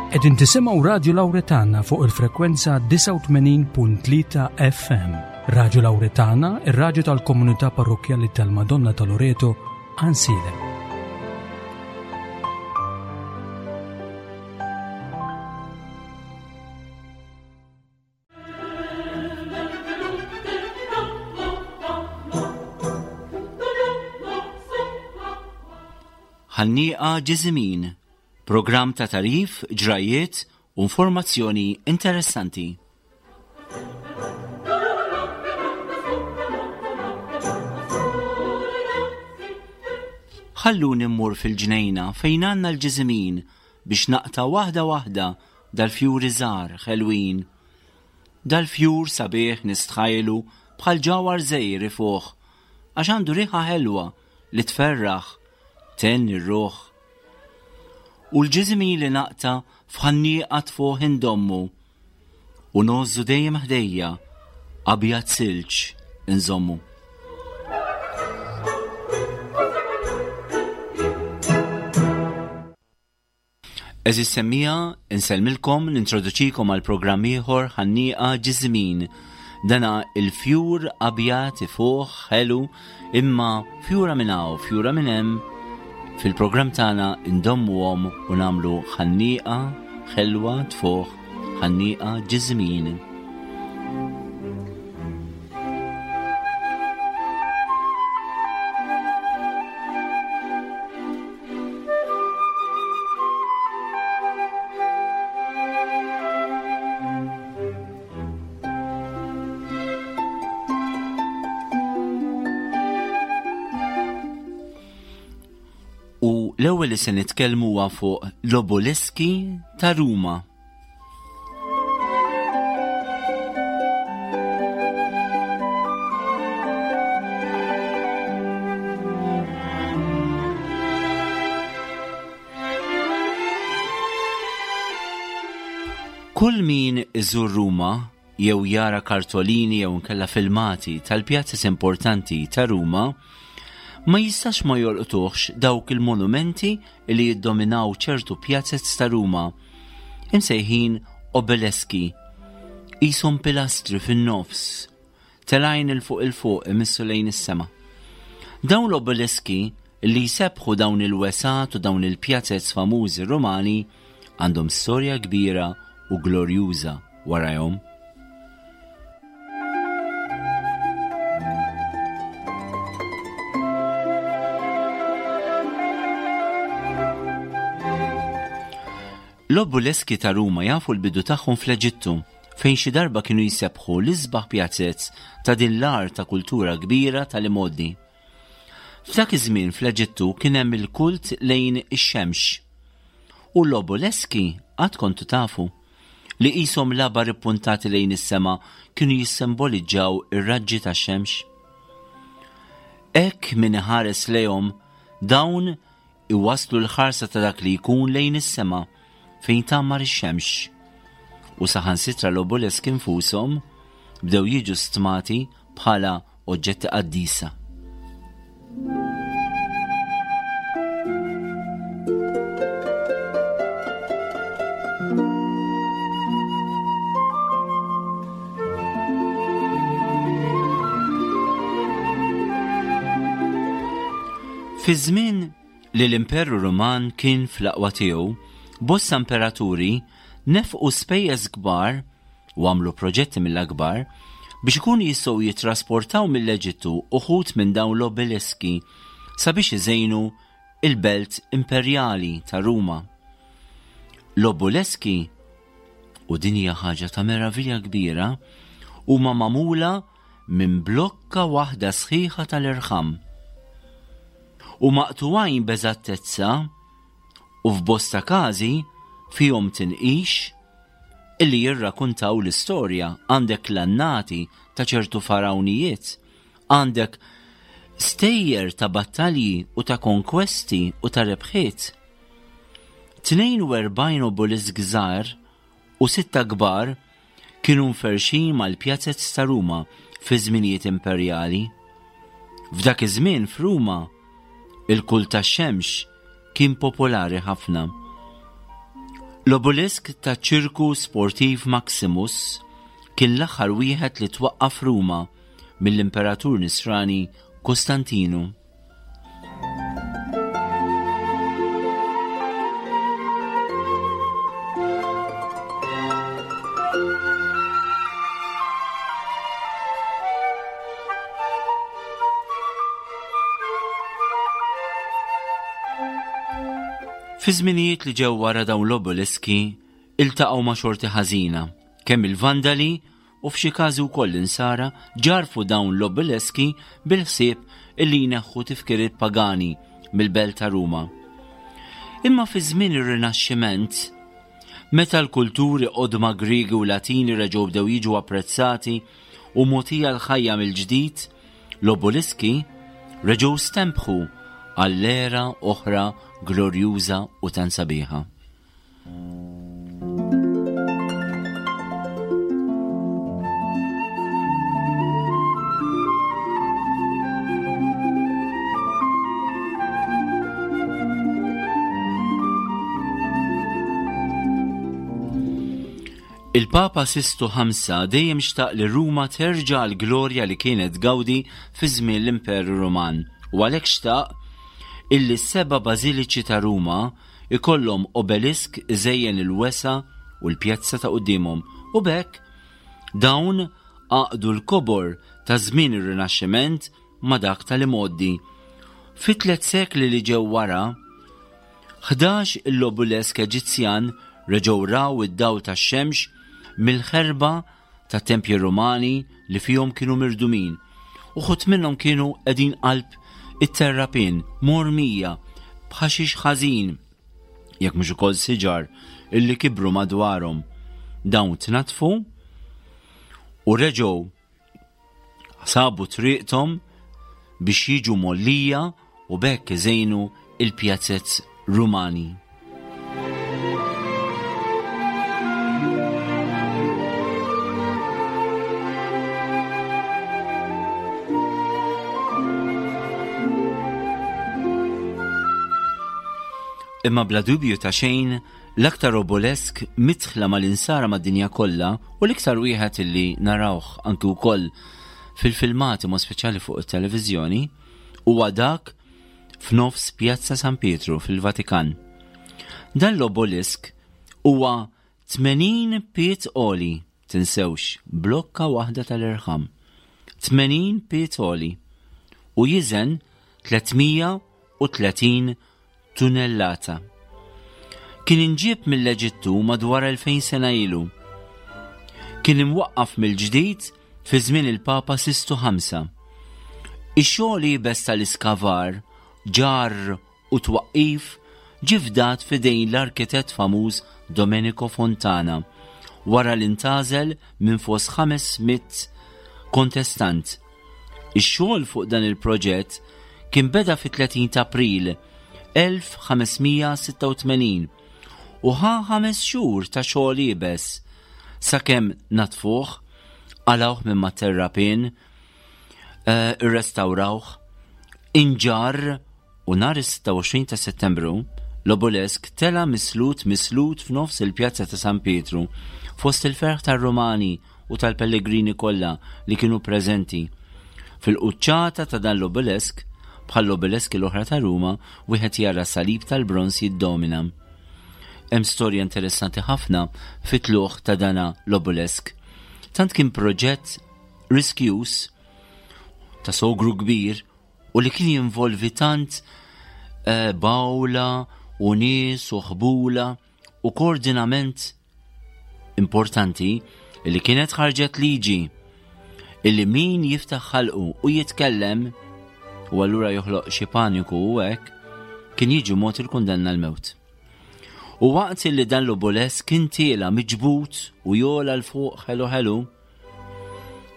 Qegħdin tisimgħu Radju Lawretana fuq il-frekwenza 89.3 FM. Radju Lawretana, ir-radju tal-komunità parrokkjali tal-Madonna ta' Loreto, Għansielem. Ħannieqa Ġiżimin, programm ta' tagħrif, ġrajjiet u informazzjoni interessanti. Ħalluni mmur fil-ġnejna fejn għandna l-ġiżimin biex naqta' waħda waħda dal-fjuri żgħar ħelwin. Dal-fjur sabiħ nistħajlu bħal ġawhar żgħir ifuħ għax għandu riħa ħelwa li tferraħ, tgħenni r-ruħ. U l-ġiżimin li naqta' f'ħannieqa tfuħ indommu u ngħożżu dejjem ħdejja abjad silġ inżommu. Eżis semmija, insellmilkom, nintroduċikom għal programm ieħor ħannieqa ġiżmin. Dana il-fjur abjad ifuħ ħelu imma fjura minn hawn, fjura minn hemm fil-programm tagħna ndommuhom u nagħmlu ħannieqa ħelwa tfuħ ħannieqa ġiżmin. U l-ewwel li se nitkellmu huwa fuq l-oboliski ta' Ruma. Kull min iżur Ruma jew jara kartolini jew inkella filmati tal-pjazez importanti ta' Ruma, ma jistax ma jolqtuhx dawk il-monumenti li jiddominaw ċertu pjazez ta' Ruma, imsejħin obeleski, qishom pilastri fin-nofs, telgħin 'il fuq 'il fuq imissu lejn is-sema. Dawn l-obeleski li jsebbħu dawn il-wesgħat u dawn il-pjazez famużi Rumani għandhom storja kbira u glorjuża warajhom. L-obuleski ta' Ruma jafu l-bidu tagħhom fl-Eġittu, fejn xi darba kienu jsebbħu l-isbaħ pjazez ta' din l-art ta' kultura kbira tal-imgħoddi. F'dak iż-żmien fl-Eġittu kien hemm il-kult lejn ix-xemx. U l-obuleski qatt kontu tafu li qishom labar ippuntati lejn is-sema kienu jissimboliġġaw ir-raġġi tax-xemx? Hekk min iħares lejhom dawn iwasslu l-ħarsa ta' dak li jkun lejn is-sema fejn tgħammar ix-xemx. U saħansitra l-obuleski nfushom bdew jiġu stmati bħala oġġetti qaddisa. Fi żmien li l-Imperu Ruman kien fl-aqwa tiegħu, bosta imperaturi nefqu spejjeż kbar u għamlu proġetti mill-akbar biex ikunu jistgħu jittrasportaw mill-Eġittu uħud minn dawn l-obeliski sabiex iżejnu il-belt imperjali ta' Ruma. L-obuleski, u din hija ħaġa ta' meravilja kbira, huma magħmula minn blokka waħda sħiħa tal-irħam. U maqtugħin b'eżattezza u f'bosta każi fihom tinqix illi jirrakuntaw l-istorja, għandek l-annati ta' ċertu farawnijiet, għandek stejjer ta' battalji u ta' konkwesti u ta' rebħiet. 42 obelisk żgħar u sitta kbar kienu mferrxin mal-pjazez ta' Ruma fi żminijiet imperjali. F'dak iż-żmien f'Ruma, il-kult tax-xemx kien popolari ħafna. L-obelisk taċ-ċirku sportiv Maximus kien l-aħħar wieħed li twaqqaf Ruma mill-Imperatur Nisrani Kostantinu. Fi żminijiet li ġew wara dawn l-obeliski iltaqgħu ma' xorti ħażina, kemm il-Vandali u f'xi każi wkoll l-Insara ġarrfu dawn l-obeliski bil-ħsieb illi jneħħu tifkiriet pagani mill-belt ta' Ruma. Imma fi żmien ir-Rinaxximent, meta l-kulturi qodma Griegi u Latini reġgħu bdew jiġu apprezzati u mogħtija l-ħajja mill-ġdid, l-obeliski reġgħu stembħu għall-era oħra glorjuża u tant sabiħa. Il-Papa Sistu Ħamsa dejjem xtaq li Ruma terġa' għall-glorja li kienet tgawdi fi żmien l-Imperu Ruman u għalhekk xtaq illi s-seba' bażiliċi ta' Ruma ikollhom obelisk iżejjen il-wesgħa u l-pjazza ta' quddiemhom u b'hekk dawn għaqdu l-kobor ta' żmien ir-Rinaxximent ma' dak tal-imgħoddi. Fit-tlet sekli li ġew wara, 11 il-obulesk Eġizzjan reġgħu raw id-dawl tax-xemx mill-ħerba ta' tempji Rumani li fihom kienu mirdumin. Uħud minnhom kienu qegħdin qalb it-terrapien, mormija, b'ħaxix ħażin, jekk mhux ukoll siġar illi kibru madwarhom. Dawn tnatfu u reġgħu Sabu triqthom biex jiġu mgħollija u b'hekk iżejnu il-pjazez Rumani. Imma bla dubju ta' xejn, l-aktar obolesk midħla mal-insara mad-dinja kollha u l-iktar wieħed illi narawh anki wkoll fil-filmati mod speċjali fuq it-televiżjoni huwa dak f'nofs Pjazza San Pietru fil-Vatikan. Dan l-obolisk huwa 80 pied għoli, tinsewx, blokka waħda tal-irħam. 80 pied għoli u jiżen 330 tunellata. Kien inġieb mill-Eġittu madwar 2000 sena ilu. Kien imwaqqaf mill-ġdid fi żmien il-Papa Sistu Ħamsa. Ix-xogħol iebes tal-iskavar, ġarr u twaqqif ġie fdat f'idejn l-arkitett famuż Domenico Fontana wara li ntgħażel minn fost 500 kontestant. Ix-xogħol fuq dan il-proġett kien beda fit-30 ta' April 1586 u ħa ħames xhur ta' xogħol iebes sakemm natfuh, qalgħuh minn mat-terrapien, eh, irrestawrawh, inġarr u nhar is-26 ta' Settembru l-obolesk tela' mislut mislut f'nofs il-Pjazza ta' San Pietru fost il-ferħ tar-Rumani u tal-pellegrini kollha li kienu preżenti. Fil-quċċata ta' dan l-obelisk, bħall-obeliski l-oħra ta' Ruma, wieħed jara salib tal-bronż jiddomina. Hemm storja interessanti ħafna fit-tlugħ ta' dana l-obelisk. Tant kien proġett riskjuż ta' sogru kbir u li kien jinvolvi tant eh, bawla u nies u ħbula u koordinament importanti li kienet ħarġet liġi illi min jiftaħ ħalqu u jitkellem u allura joħloq xi paniku u hekk kien jiġi mod il-kundanna l-mewt. U waqt li dan l-oboles kien tiela miġbut u jola l fuq ħelu ħelu,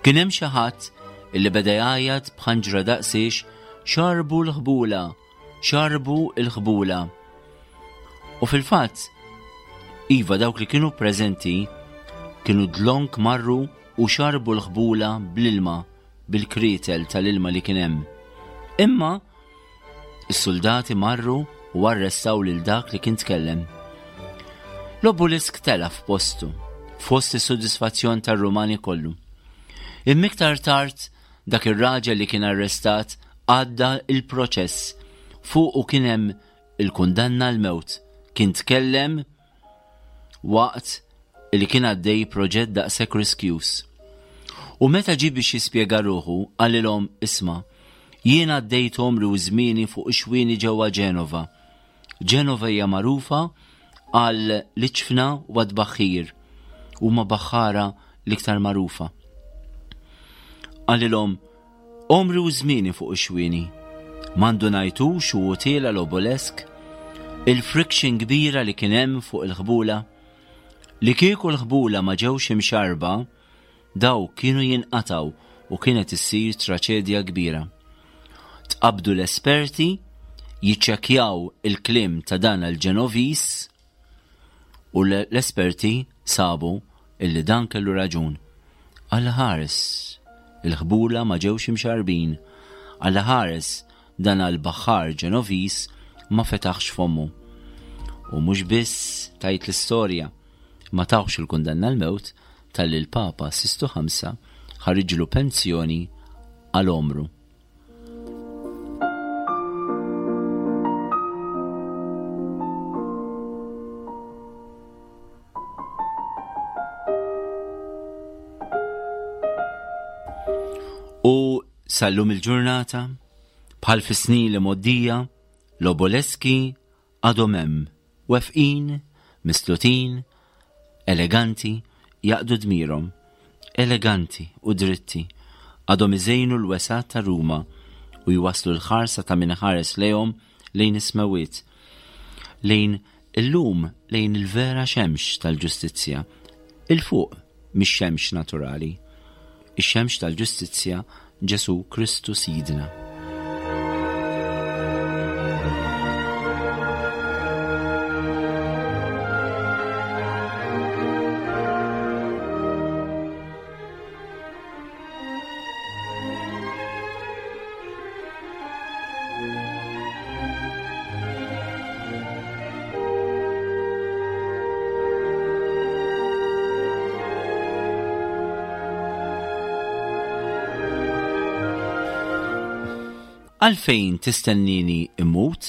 kien hemm xi ħadd illi beda jgħajjat b'ħanġra daqsiex xarbu l-ħbula Xarbu l-ħbula. U fil-fatt, iva dawk li kienu preżenti kienu dlonk marru u xarbu l-ħbula bl-ilma, bil-krietel tal-ilma li kien hemm. Imma is-suldati marru u arrestaw lil dak li kien tkellem. L-obulisk tela' f'postu, fost is-sodisfazzjon tar-Rumani kollu. Imma iktar tard dak ir-raġel li kien arrestat għadda il-proċess fuqu kien hemm il-kundanna l-mewt. Kien tkellem waqt li kien għaddej proġett daqshekk riskjuż. U meta ġie biex jispjega ruħu, qalilhom isma' jien għaddejt għomri u żmieni fuq ix-xwieni ġewwa Ġenova. Ġenova hija magħrufa għal l-iċfna u għat-tbaħħir. Huma baħħara l-iktar magħrufa. Qalilhom Għomri u żmieni fuq ix-xwieni. Ma ndunajtux u hu tiela' l-obolesk? Il-friction kbira li kien hemm fuq il-ħbula? Li kieku l-ħbula ma ġewx imxarrba, dawk kienu jinqatgħu u kienet issir traċedja kbira. Tqabbdu l-esperti jiċċekkjaw il-kliem ta' dan l-Ġenoviż U l-esperti sabu illi dan kellu raġun. Alla ħares, il-ħbula ma ġewx imxarrbin. Alla ħares, dan għall-baħħar Ġenoviż ma fetaħx fommu. U mhux biss tgħid l-istorja, ma tawhx il-kundanna l-mewt talli l-Papa Sistu Ħamsa ħariġlu pensjoni għal għomru. U sal-lum il-ġurnata, bħal fis-snin li moddija, l-oboleski Għadhom hemm, wefqin, mislutin, eleganti, jaqdu dmirhom, eleganti u dritti, għadhom iżejnu l-wesgħat ta' Ruma u jwasslu l-ħarsa ta' min iħares lejhom lejn is-smewwiet, lejn illum lejn il-vera xemx tal-ġustizzja, 'il fuq mix-xemx naturali, ix-xemx tal-ġustizzja Ġesù Kristu Sidna. Għalfejn tistennini immut?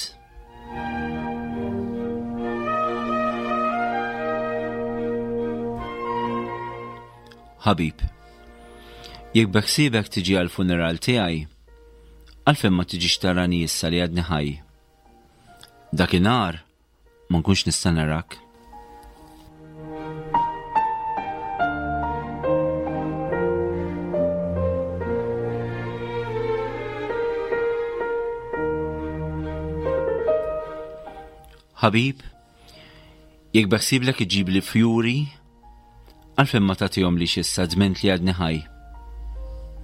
Ħabib, jekk beħsiebek tiġi għall-funeral tiegħi, għalfejn ma tiġix tarani issa li għadni ħaj? Dakinhar ma nkunx nista' narak. Ħabib, jekk beħsiblek iġibli fjuri, għalfejn ma tagħtihomlix issa dment li għadni ħaj?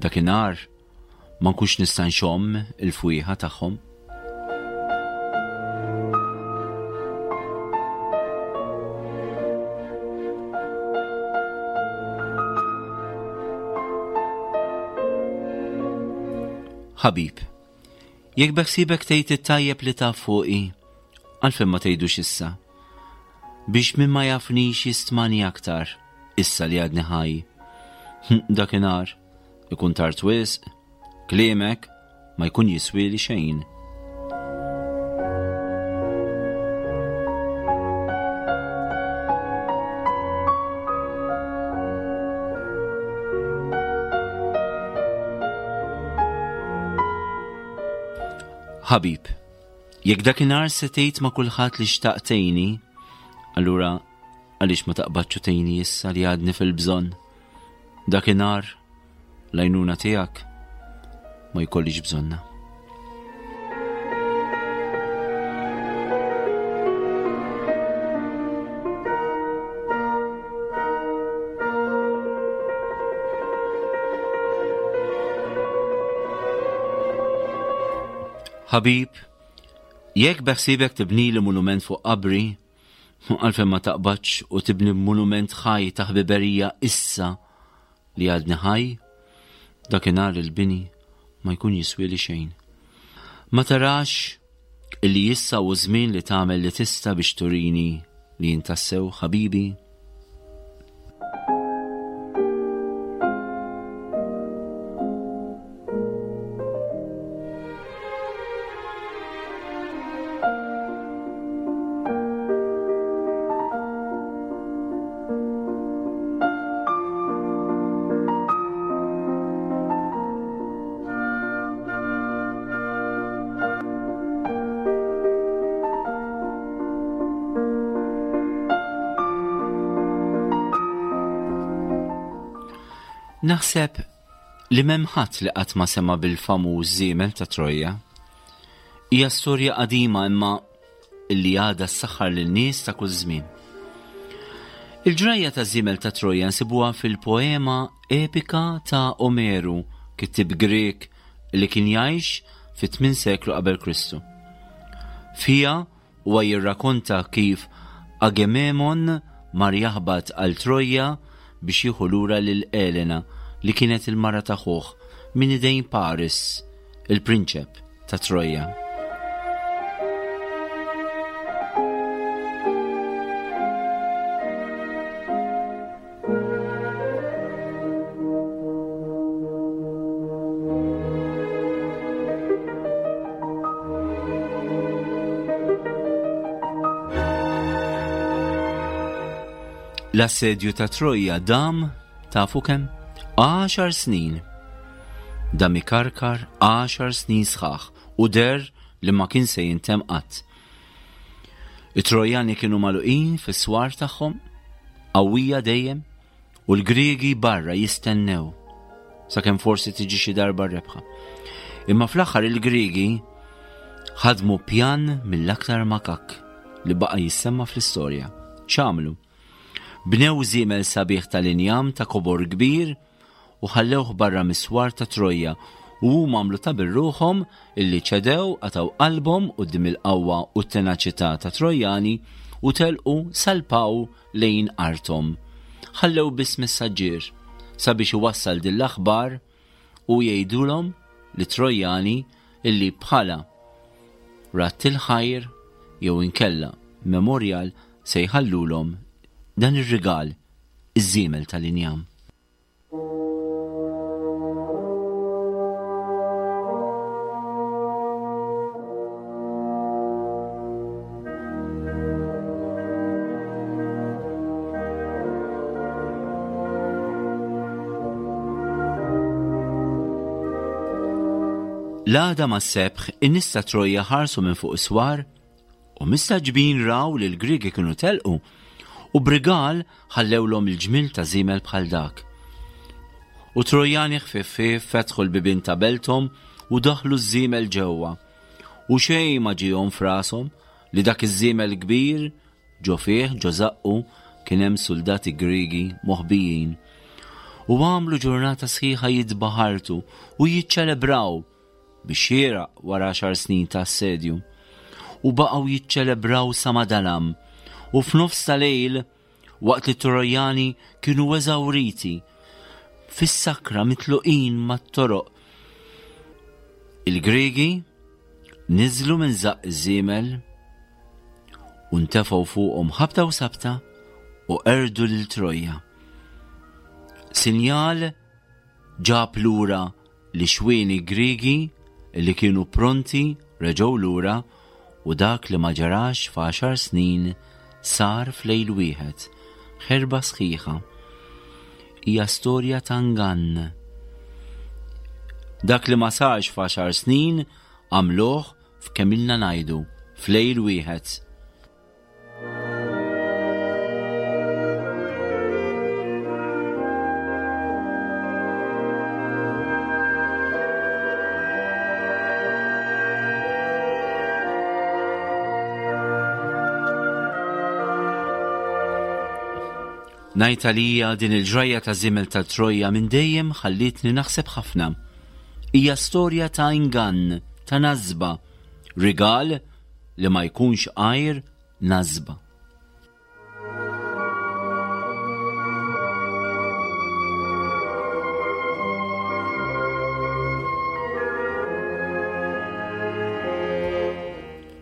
Dakinhar ma nkunx nista' nxomm il-fwieħa tagħhom. Ħabib, jekk beħsiebek tgħid it-tajjeb li taf fuqi, għalfejn ma tgħidux issa? Biex min ma jafnix jistmani aktar, issa li għadni ħaj. Dakinhar, Ikun tard wisq, kliemek ma jkun jiswieli xejn. Ħabib, jekk dakinhar se tgħid ma' kulħadd li xtaqt tgħinni, allura għaliex ma taqbadx u tgħinni issa li għadni fil-bżonn? Dakinhar l-għajnuna tiegħek ma jkollix bżonna. Ħabib, jekk beħsibek tibnili monument fuq qabri, Għalfejn ma taqbadx u tibni monument ħaj ta' ħbiberija issa li għadni ħaj? Dakinhar il-bini ma jkun jiswieli xejn. Ma tarax illi issa hu żmien li tagħmel li tista' biex turini li jintassew ħabibi? Naħseb li m'hemm ħadd li qatt ma sema' bil-famuż żiemel ta' Trojja. Hija storja qadima imma illi għadha ssaħħar lin-nies ta' kull żmien. Il-ġrajja ta' żiemel ta' Trojja nsibuha fil-poema epika ta' Omeru, kittib Grieg li kien jgħix fit-tmien seklu qabel Kristu. Fiha huwa jirrakonta kif Agememon mar jaħbat għal Trojja biex jieħu lura lil Elena li kienet il-mara ta' ħuh minn idejn Paris, il-prinċep ta' Trojja. L-assedju ta' Trojja dam tafu kemm? Għaxar snin. Dam ikarkar għaxar snin sħaħ u der li ma kien se jintemm qatt. It-Trojani kienu magħluqin fis-swar tagħhom, qawwija dejjem, u l-Griegi barra jistennew sakemm forsi tiġi xi darba rebħa. Imma fl-aħħar il-Griegi ħadmu pjan mill-aktar makak li baqa' jissemma fl-istorja. X'għamlu? Bnew żiemel sabiħ tal-injam ta' kobor kbir u ħallewh barra mis-swar ta' Trojja u huma għamlu ta' bir-ruħhom illi ċedew, qatgħu qalbhom quddiem il-qawwa u t-tenaċità tat-Trojjani u telqu salpaw lejn arthom. Ħallew biss messaġġier sabiex iwassal din l-aħbar u jgħidulhom lit-Trojjani illi bħala radd il-ħajr jew inkella memorjal se jħallulhom dan ir-rigal, iż-żiemel tal-injam. L-għada mas-sebħ in-nies ta' Trojja ħarsu minn fuq is-swar U mistagħġbin raw li l-Griegi kienu telqu u b'rigal ħallewlhom il-ġmiel ta' żiemel bħal dak. U Trojani ħfief ħfief fetħu l-bibien ta' belthom u daħlu ż-żiemel ġewwa. U xejn ma ġiehom f'rashom li dak iż-żiemel kbir ġo fih ġo żaqqu kien hemm suldati Griegi moħbijin. U għamlu ġurnata sħiħa jitbaħartu u jiċċelebraw bix-xieraq wara għaxar snin ta' assedju, u baqgħu jiċċelebraw sa ma dalam, u f'nofs ta' lejl, waqt li t-Trojani kienu eżawriti, fis-sakra mitluqin mat-toroq, il-Griegi niżlu minn żaqq iż-żiemel u ntefgħu fuqhom ħabta u sabta u qerdu lil Trojja. Sinjal ġab lura L-ixwieni Griegi li kienu pronti reġgħu lura u dak li ma ġarax f'għaxar snin sar f'lejl wieħed, ħerba sħiħa. Hija storja ta' ngann. Dak li ma sarx f'għaxar snin għamluh f'kemm ilna ngħidu, f'lejl wieħed. Ngħid għalija din il-ġrajja ta' żiemel ta' Trojja minn dejjem ħallietni naħseb ħafna. Hija storja ta' ingann, ta' nasba, rigal li ma jkunx għajr nasba.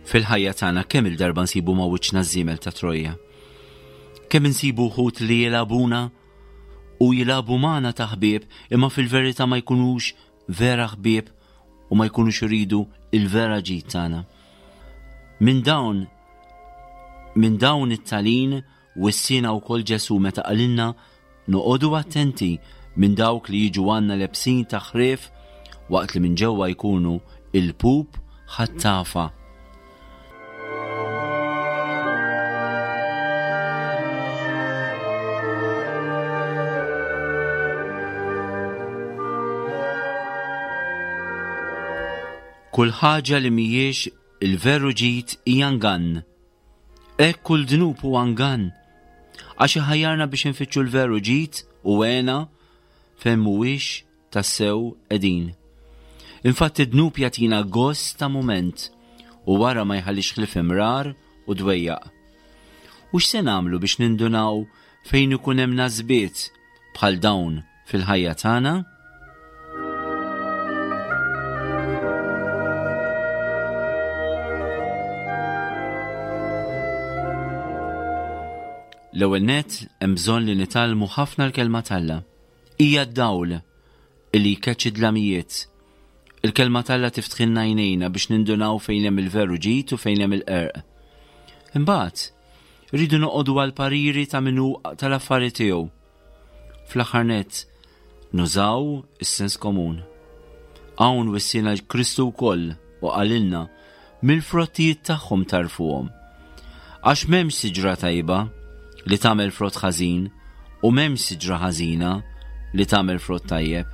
Fil-ħajja tagħna kemm il-darba nsibu ma' wiċċna żiemel ta' Trojja. Kemm insibu wħud li jilagħbuna u jilagħbu magħna ta' ħbieb imma fil-verità ma jkunux vera ħbieb u ma jkunux iridu il-vera ġid tagħna. Minn dawn minn dawn it-talin wissiena wkoll Ġesù meta qalilna noqogħdu attenti minn dawk li jiġu għandna lebsin ta' ħrief waqt li minn ġewwa jkunu il-pup ħattafa. Kull ħaġa li mhijiex il-veru ġid hija ngann. Hekk kull dnub huwa ngann. Għax iħajjarna biex infittxu l-veru ġid u għena fejn mhuwiex tassew qegħdin. Infatti d-dnub jagħtina gost ta' mument u wara ma jħallix ħlief imrar u dwejjaq. U x'se nagħmlu biex nindunaw fejn ikun hemm nasbiet bħal dawn fil-ħajja tagħna? L-ewwel nett hemm bżonn li nitgħallmu ħafna l-kelma t'Alla. Hija d-dawl illi jkeċċi d-dlamijiet. Il-kelma t'Alla tiftħilna għajnejna biex nindunaw fejn hemm il-veru ġid u fejn hemm il-qerq. Imbagħad, rridu noqogħdu għal pariri ta' min hu tal-affari tiegħu. Fl-aħħar nett, nużaw is-sens komun. Hawn wissiena Kristu wkoll u qalilna mill-frottijiet tagħhom tagħrfuhom. Għax m'hemmx siġra tajba li tagħmel frott ħażin u m'hemmx siġra ħażina li tagħmel frott tajjeb.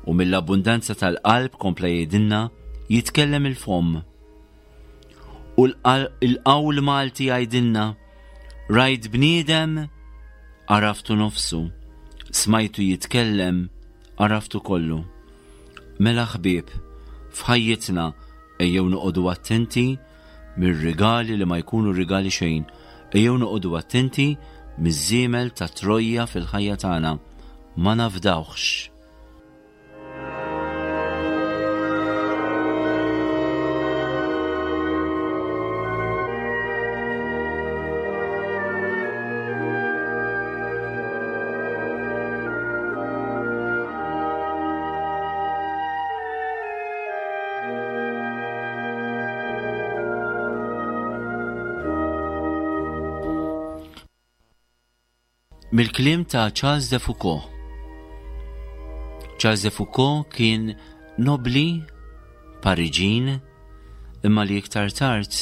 U mill-abbundanza tal-qalb kompla jgħidilna jitkellem il-fomm. U l-qawl Malti jgħidilna rajt bniedem għaraftu nofsu, smajtu jitkellem għaraftu kollu. Mela ħbieb, f'ħajjitna ejjew noqogħdu attenti mir-rigali li ma jkunu rigali xejn. Ejjew noqogħdu attenti miż-żiemel ta' Trojja fil-ħajja tagħna. Ma nafdawhx. Mill-kliem ta' Charles de Foucault. Charles de Foucault kien nobli Pariġin imma li iktar tard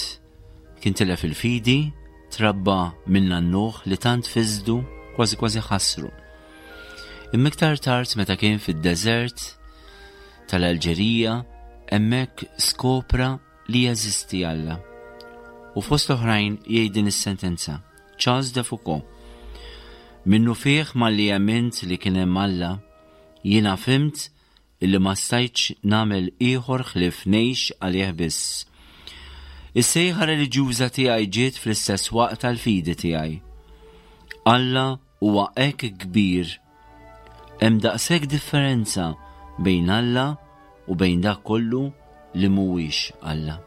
kien tilef il-fidi, trabba minn nannuh li tant fiżdu kważi kważi ħassru. Imma iktar tard meta kien fid-deżert tal-Alġerija hemmhekk skopra li jeżisti Alla. U fost oħrajn jgħid din is-sentenza. Charles de Foucault. Minnufih malli emmint li kien hemm Alla, jiena fhimt illi ma stajtx nagħmel ieħor ħlief ngħix għalih biss. Is-sejħa reliġjuża tiegħi ġiet fl-istess waqt tal-fidi tiegħi. Alla huwa hekk kbir. Hemm daqshekk differenza bejn Alla u bejn dak kollu li mhuwiex Alla.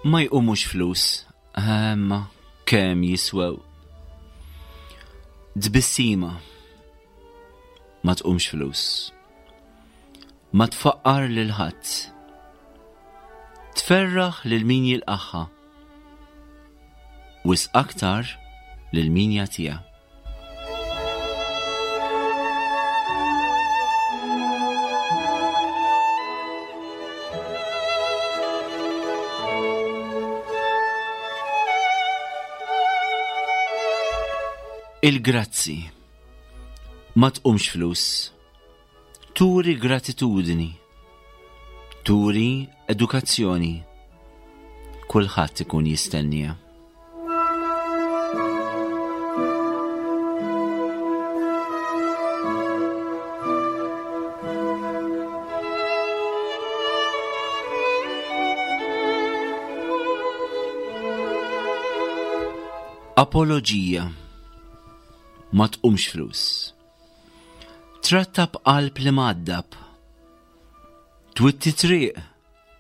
Ma jqumux flus, imma kemm jiswew. Tbissima ma tqumx flus. Ma tfaqqar lil ħadd. Tferraħ lil min jilqagħha. Wisq aktar lil min jagħtiha. Il-grazzi. Ma tqumx flus. Turi gratitudni. Turi edukazzjoni. Kulħadd ikun jistennija. Apoloġija ma tqumx flus. Tratta b'qalb li mgħaddab. Twitti triq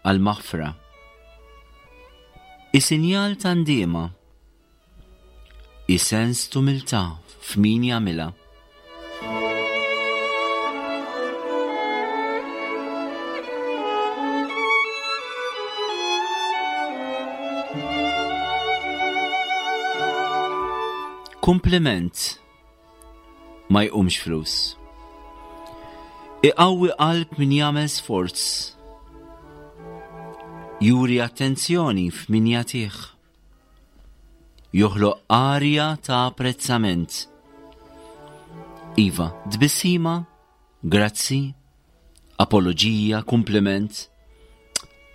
għal maħfra. Isinjal ta' ndiema. Isens tumiltà f'min jagħmilha. Kumpliment ma jqumx flus. Iqawwi qalb min jagħmel sforz. Juri attenzjoni f'min jagħtih. Joħloq arja ta' apprezzament. Iva, tbissima, grazzi, apoloġija, kumpliment.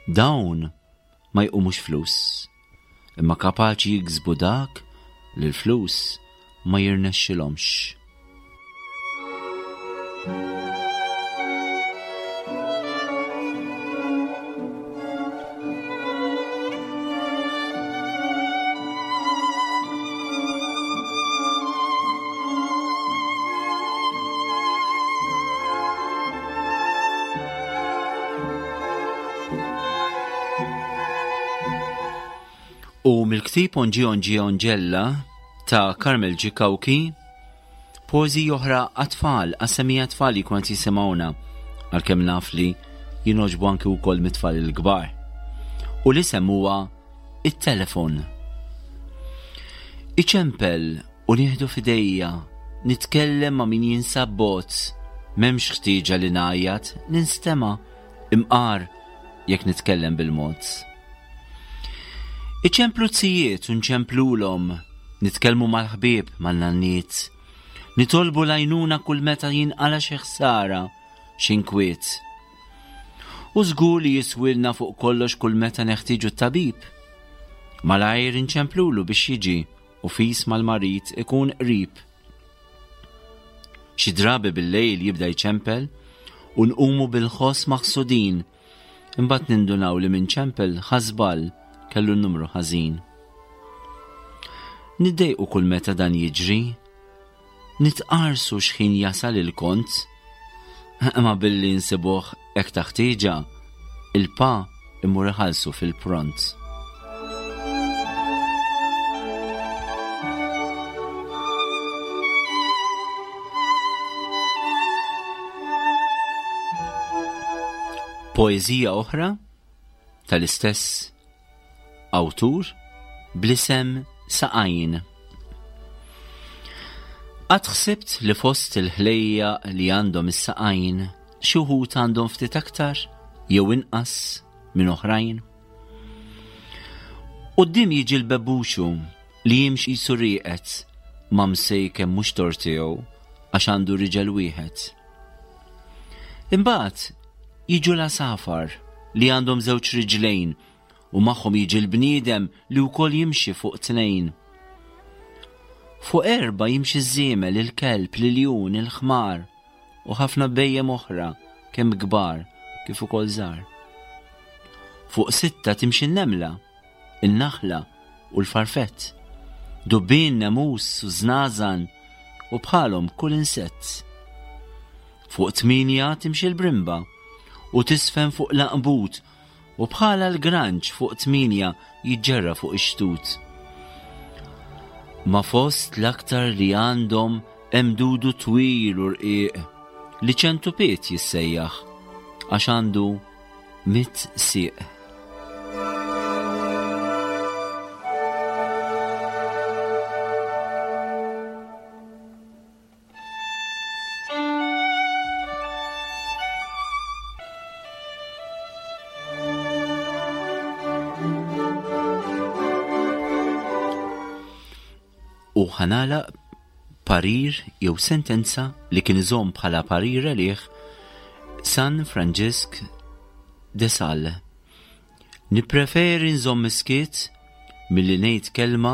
Dawn ma jqumux flus, imma kapaċi jiksbu dak li l-flus ma jirnexxilhomx. U mill-ktib Onġi Onġi Onġella ta' Carmel G. Cauchi, poeżiji oħra għat-tfal, għas-semija tfal li kont jisimgħuna, għalkemm naf li jinoġbu anki wkoll mit-tfal il-kbar. U l-isem huwa it-telefon. Iċempel u nieħdu f'idejja, nitkellem ma' min jinsab bogħod, m'hemmx ħtieġa li ngħajjat, ninstema' imqar jekk nitkellem bil-mod. Iċemplu zijiet u nċemplulhom, nitkellmu mal-ħbieb, man-nanniet. Nitolbu l-għajnuna kull meta jinqala xi ħsara, xi nkwiet. U żgur li jiswilna fuq kollox kull meta neħtieġu t-tabib. Malajr inċemplulu biex jiġi u fis mal-marid ikun qrib. Xi drabi bil-lejl jibda jċempel u nqumu bil-ħoss maħsudin Imbagħad nindunaw li min ċempel ħa żball kellu n-numru ħażin. Niddejqu kull meta dan jiġri. Nitqarsu x'ħin jasal il-kont. Imma billi nsibuh hekk ta' ħtieġa, il-pa imur iħallsu fil-pront. Poeżija oħra tal-istess awtur bl-isem Saqajn. Qatt ħsibt li fost il-ħlejjaq li għandhom is-saqajn xi wħud għandhom ftit aktar jew inqas minn oħrajn? Quddiem jiġi l-bebbuxu li jimxi qisu rieqed ma msejken mhux tort tiegħu għax għandu riġel wieħed. Imbagħad jiġu l-għasafar li għandhom żewġ riġlejn u magħhom jiġi l-bniedem li wkoll jimxi fuq tnejn. Fuq erbgħa jimxi ż-żiemel, il-kelb, l-iljun, il-ħmar u ħafna bhejjem oħra kemm kbar kif ukoll żgħar. Fuq sitta timxi n-nemla, in-naħla u l-farfett, dubbien, nemus u żnażan u bħalhom kull insett. Fuq tmienja timxi l-brimba u tisfen fuq l-għanqbut U bħala l-granċ fuq tmienja jiġġerra fuq ix-xtut. Ma fost l-aktar li għandhom hemm dudu twil u rqiq li ċentupiet jissejjaħ għax għandu mit sieq. U ħanala. parir jew sentenza li kien iżomm bħala parir għalih San Franġisk de Sal. Nippreferi nżomm is-skiet milli ngħid kelma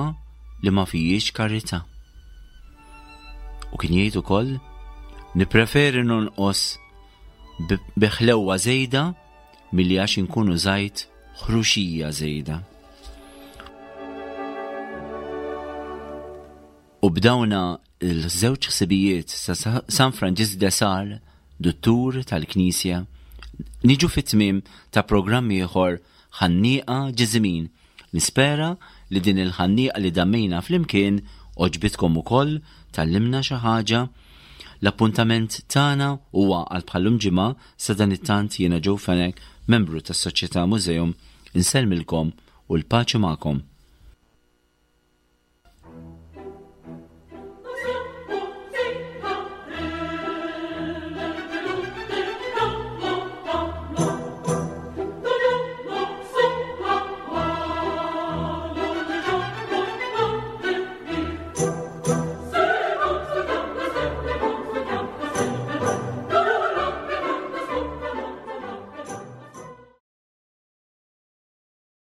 li ma fijiex karità. U kien jgħid ukoll, nippreferi nonqos bi ħlewwa żejda milli għax inkun użajt ħruxija żejda. U b'dawna l-żewġ ħsibijiet sa San Franġisk de Sal, duttur tal-Knisja, niġu fit-tmiem ta' programm ieħor Ħannieqa Ġiżimin. Nispera li din il-ħannieqa li dammejna flimkien għoġbitkom ukoll, tgħallimna xi ħaġa. L-appuntament tagħna huwa għal bħal-lum ġimgħa, sadanittant jiena Joe Fenech, membru tas-Soċjetà Museum, insellmilkom u l-paċi magħkom.